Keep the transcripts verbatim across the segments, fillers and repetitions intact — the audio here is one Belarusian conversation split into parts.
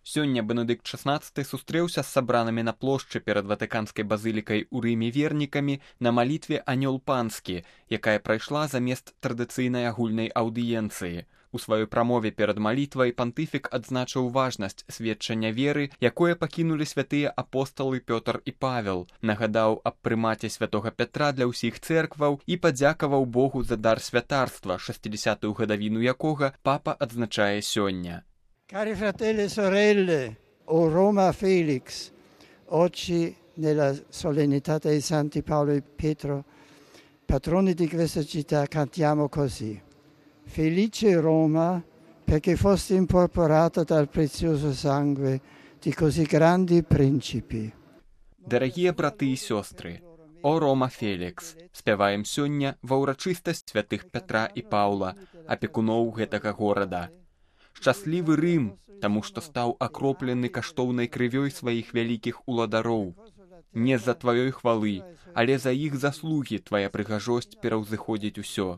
Сёння Бенедыкт шаснаццаты сустрэўся з сабранымі на плошчы перад Ватыканскай базылікай у Рыме вернікамі на малітве «Анёл панскі», якая прайшла замест традыцыйнай агульнай аўдыенцыі. У сваёй прамове перад малітвай пантыфік адзначыў важнасць сведчання веры, якое пакінулі святыя апосталы Пётр і Павел, нагадаў аб прымаце святога Пятра для ўсіх цэркваў і падзякаваў Богу за дар святарства, шэсцідзясятую гадавіну якога папа адзначае сёння. Cari fratelli e sorelle, o Roma Felix, oggi nella solennità dei Santi Paolo e Pietro, patroni di questa città, cantiamo così. Felice Roma, perché foste incorporata dal prezioso sangue di così grandi principi. Дарагія браты і сёстры, о Рома Фелікс, спяваем сёння ва ўрачыстасць святых Пятра і Паўла, апекуноў гэтага горада. Шчаслівы Рым, таму што стаў акроплены каштоўнай крывёй сваіх вялікіх уладароў. Не з-за тваёй хвалы, але за іх заслугі твая прыгажосць пераўзыходзіць усё.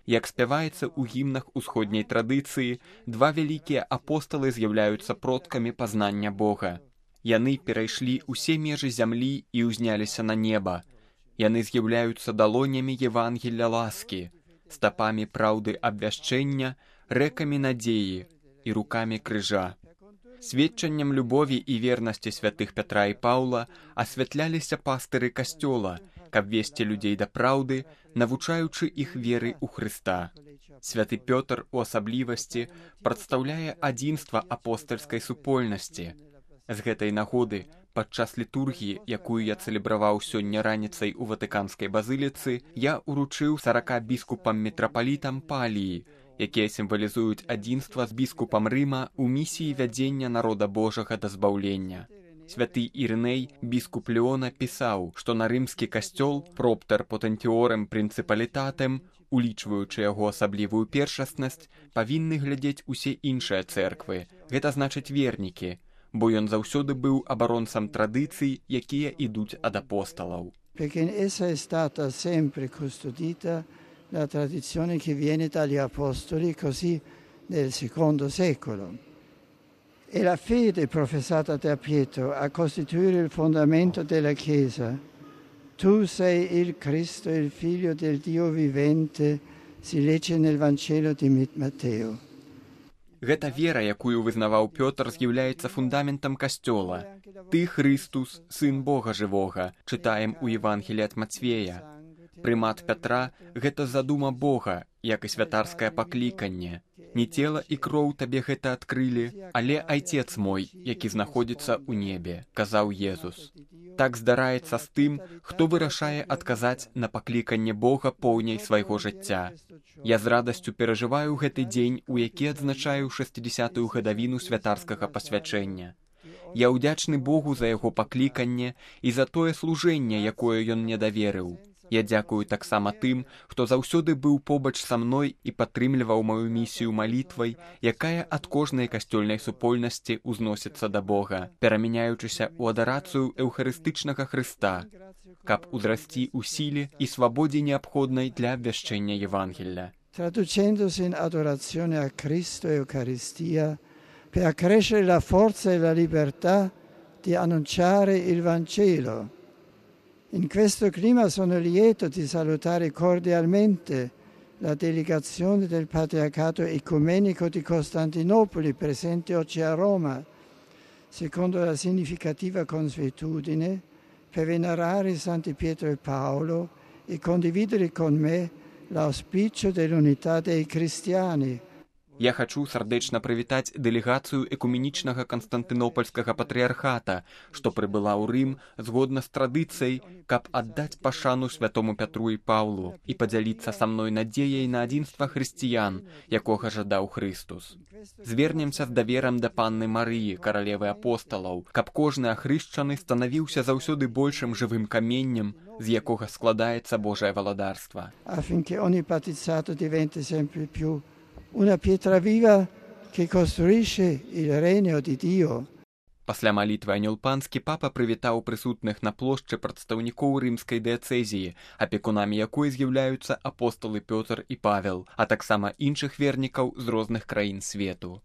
Як спяваецца ў гімнах усходняй традыцыі, два вялікія апосталы з'яўляюцца продкамі пазнання Бога. Яны перайшлі ўсе межы зямлі і ўзняліся на неба. Яны з'яўляюцца далонямі Евангелля ласкі, стапамі праўды абвяшчэння, рэкамі надзеі і рукамі крыжа. Сведчаннем любові і вернасці святых Пятра і Паўла асвятляліся пастыры касцёла, каб весці людзей да праўды, навучаючы іх веры ў Хрыста. Святы Пётр у асаблівасці прадстаўляе адзінства апостальскай супольнасці. З гэтай нагоды, падчас літургіі, якую я цэлебраваў сёння раніцай у Ватыканскай базыліцы, я уручыў сарака біскупам-мітрапалітам паліі, якія сімвалізуюць адзінства з біскупам Рыма ў місіі вядзення народа Божага да збаўлення. Святы Ірыней, біскуп Леона, пісаў, што на рымскі касцёл «Проптер потентіорем прынцыпалітатем», улічваючы яго асаблівую першаснасць, павінны глядзець усе іншыя цэрквы, гэта значыць вернікі, бо ён заўсёды быў абаронцам традыцый, якія ідуць ад апосталаў. Perché in essa è stata sempre custodita la tradizione che viene dagli apostoli, così nel secondo secolo. E la fede professata da Pietro a costituire il fondamento della Chiesa. Tu sei il Cristo, il Figlio del Dio vivente, si legge nel Vangelo di Matteo. Гэта вера, якую вызнаваў Пётр, з'яўляецца фундаментам касцёла. Ты, Хрыстус, сын Бога жывога, чытаем у Евангелі ад Мацвея. Прымат Пятра – гэта задума Бога, як і святарскае пакліканне. Не цела і кроў табе гэта адкрылі, але Айцец мой, які знаходзіцца ў небе, казаў Езус. Так здараецца з тым, хто вырашае адказаць на пакліканне Бога поўняй свайго жыцця. Я з радасцю перажываю гэты дзень, у які адзначаю шэсцідзясятую гадавіну святарскага пасвячэння. Я ўдзячны Богу за яго пакліканне і за тое служэнне, якое ён мне даверыў. Я дзякую таксама тым, хто заўсёды быў побач са мной і падтрымліваў маю місію малітвай, якая ад кожнай касцёльнай супольнасці ўзносіцца да Бога, перамяняючыся ў адарацыю эўхарыстычнага Хрыста, каб узрасці ў сіле і свабодзе неабходнай для абвяшчэння Евангелля. Traducendosi in adorazione a Cristo e Eucaristia, per accrescere la forza e la libertà di annunciare il Vangelo. In questo clima sono lieto di salutare cordialmente la delegazione del Patriarcato Ecumenico di Costantinopoli presente oggi a Roma, secondo la significativa consuetudine, per venerare Santi Pietro e Paolo e condividere con me l'auspicio dell'unità dei cristiani. Я хачу сардэчна прывітаць дэлегацыю экуменічнага Канстантынопольскага патрыархата, што прыбыла ў Рым згодна з традыцыяй, каб аддаць пашану святому Пятру і Паўлу і падзяліцца са мной надзеяй на адзінства хрысціян, якога жадаў Хрыстус. Звернемся з даверам да панны Марыі, каралевы апосталаў, каб кожны ахрышчаны станавіўся заўсёды большым жывым каменнем, з якога складаецца Божае валадарства. Affinché ogni battezzato diventi sempre più una pietra viva che costruisce il regno di Dio. Пасля малітвы «Анёл панскі» папа прывітаў прысутных на плошчы прадстаўнікоў рымскай дыяцэзіі, апекунамі якой з'яўляюцца апосталы Пётр і Павел, а таксама іншых вернікаў з розных краін свету.